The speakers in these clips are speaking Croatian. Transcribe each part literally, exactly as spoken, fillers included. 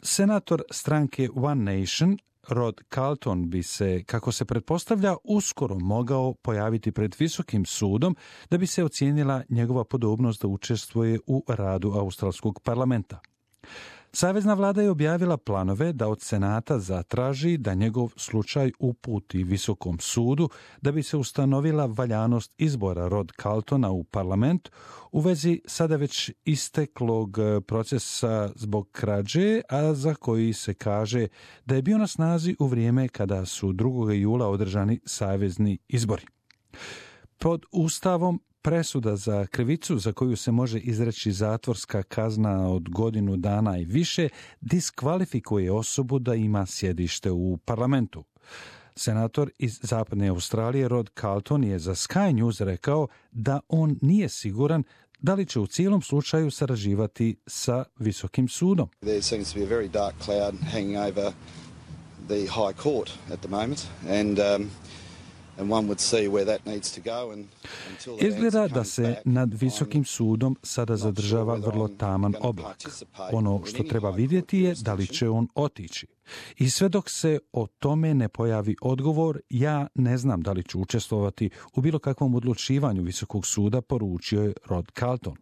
Senator stranke One Nation Rod Carlton bi se, kako se pretpostavlja, uskoro mogao pojaviti pred Visokim sudom da bi se ocijenila njegova podobnost da učestvuje u radu australskog parlamenta. Savezna vlada je objavila planove da od Senata zatraži da njegov slučaj uputi Visokom sudu da bi se ustanovila valjanost izbora Rod Carltona u parlament u vezi sada već isteklog procesa zbog krađe, a za koji se kaže da je bio na snazi u vrijeme kada su drugog jula održani savezni izbori. Pod Ustavom presuda za krivicu za koju se može izreći zatvorska kazna od godinu dana i više diskvalifikuje osobu da ima sjedište u parlamentu. Senator iz Zapadne Australije Rod Carlton je za Sky News rekao da on nije siguran da li će u cijelom slučaju sarađivati sa Visokim sudom. There seems to be a very dark cloud hanging over the High Court at the moment and um Izgleda da se nad Visokim sudom sada zadržava vrlo taman oblak. Ono što treba vidjeti je da li će on otići. I sve dok se o tome ne pojavi odgovor, ja ne znam da li ću učestvovati u bilo kakvom odlučivanju Visokog suda, poručio je Rod Carlton.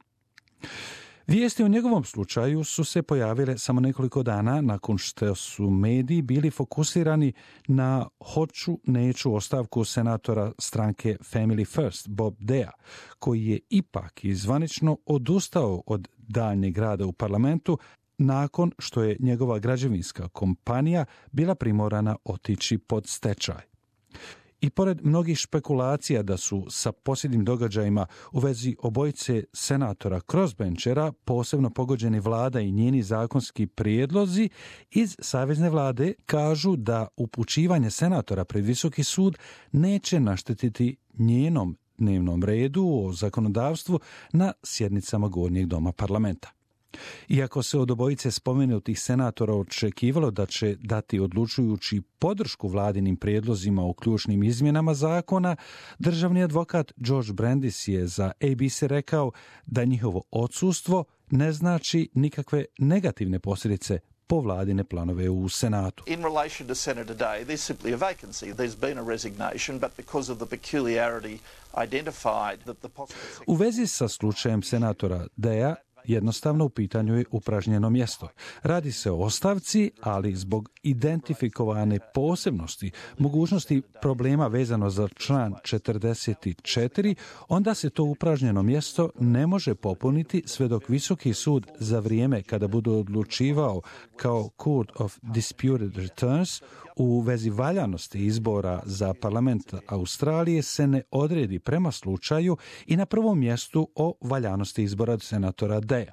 Vijesti o njegovom slučaju su se pojavile samo nekoliko dana nakon što su mediji bili fokusirani na hoću neću ostavku senatora stranke Family First Bob Dea, koji je ipak izvanično odustao od daljnjeg rada u parlamentu nakon što je njegova građevinska kompanija bila primorana otići pod stečaj. I pored mnogih špekulacija da su sa posljednjim događajima u vezi obojice senatora crossbenchera posebno pogođeni vlada i njeni zakonski prijedlozi, iz savezne vlade kažu da upućivanje senatora pred Visoki sud neće naštetiti njenom dnevnom redu o zakonodavstvu na sjednicama Gornjeg doma parlamenta. Iako se od obojice spomenutih senatora očekivalo da će dati odlučujući podršku vladinim prijedlozima o ključnim izmjenama zakona, državni advokat George Brandis je za A B C rekao da njihovo odsustvo ne znači nikakve negativne posljedice po vladine planove u Senatu. In relation to Senator Day, there's simply a vacancy. There's been a resignation, but because of the peculiarity identified that the possible... U vezi sa slučajem senatora Daya, jednostavno u pitanju je upražnjeno mjesto. Radi se o ostavci, ali zbog identifikovane posebnosti, mogućnosti problema vezano za član četrdeset četiri, onda se to upražnjeno mjesto ne može popuniti sve dok Visoki sud za vrijeme kada bude odlučivao kao Court of Disputed Returns u vezi valjanosti izbora za parlament Australije se ne odredi prema slučaju i na prvom mjestu o valjanosti izbora senatora Daya.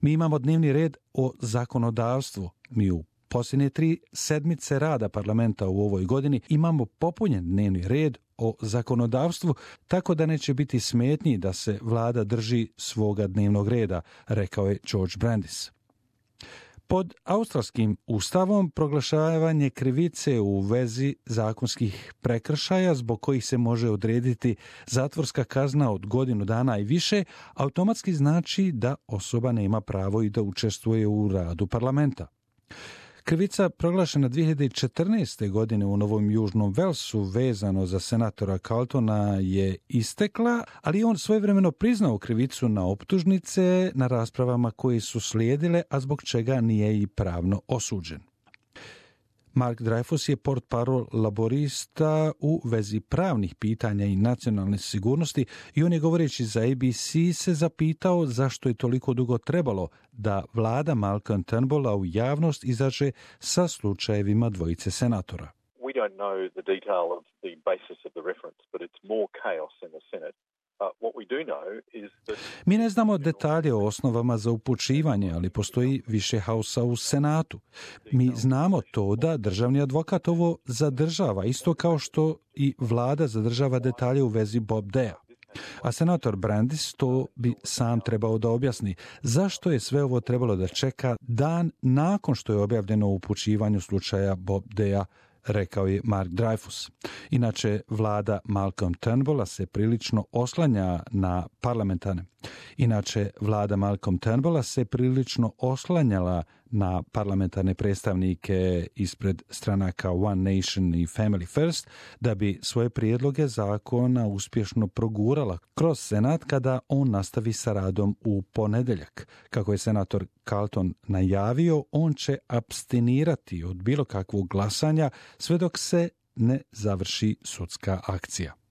Mi imamo dnevni red o zakonodavstvu. Mi u posljednje tri sedmice rada parlamenta u ovoj godini imamo popunjen dnevni red o zakonodavstvu, tako da neće biti smetnji da se vlada drži svoga dnevnog reda, rekao je George Brandis. Pod australskim ustavom proglašavanje krivice u vezi zakonskih prekršaja zbog kojih se može odrediti zatvorska kazna od godinu dana i više automatski znači da osoba nema pravo i da učestvuje u radu parlamenta. Krivica proglašena dvije hiljade četrnaeste. godine u Novom Južnom Velsu vezano za senatora Carltona je istekla, ali on svojevremeno priznao krivicu na optužnice na raspravama koje su slijedile, a zbog čega nije i pravno osuđen. Mark Dreyfus je portparol laborista u vezi pravnih pitanja i nacionalne sigurnosti i on je govoreći za A B C se zapitao zašto je toliko dugo trebalo da vlada Malcolm Turnbulla u javnost izađe sa slučajevima dvojice senatora. We don't know the detail of the basis of the reference, but it's more chaos in the Senate. Mi ne znamo detalje o osnovama za upućivanje, ali postoji više haosa u Senatu. Mi znamo to da državni advokat ovo zadržava, isto kao što i vlada zadržava detalje u vezi Bob Daya. A senator Brandis to bi sam trebao da objasni zašto je sve ovo trebalo da čeka dan nakon što je objavljeno u upućivanju slučaja Bob Daya, rekao je Mark Dreyfus. Inače, vlada Malcolm Turnbulla se prilično oslanja na parlamentarne. Inače, vlada Malcolm Turnbulla se prilično oslanjala na parlamentarne predstavnike ispred stranaka One Nation i Family First da bi svoje prijedloge zakona uspješno progurala kroz Senat kada on nastavi sa radom u ponedjeljak. Kako je senator Carlton najavio, on će apstinirati od bilo kakvog glasanja sve dok se ne završi sudska akcija.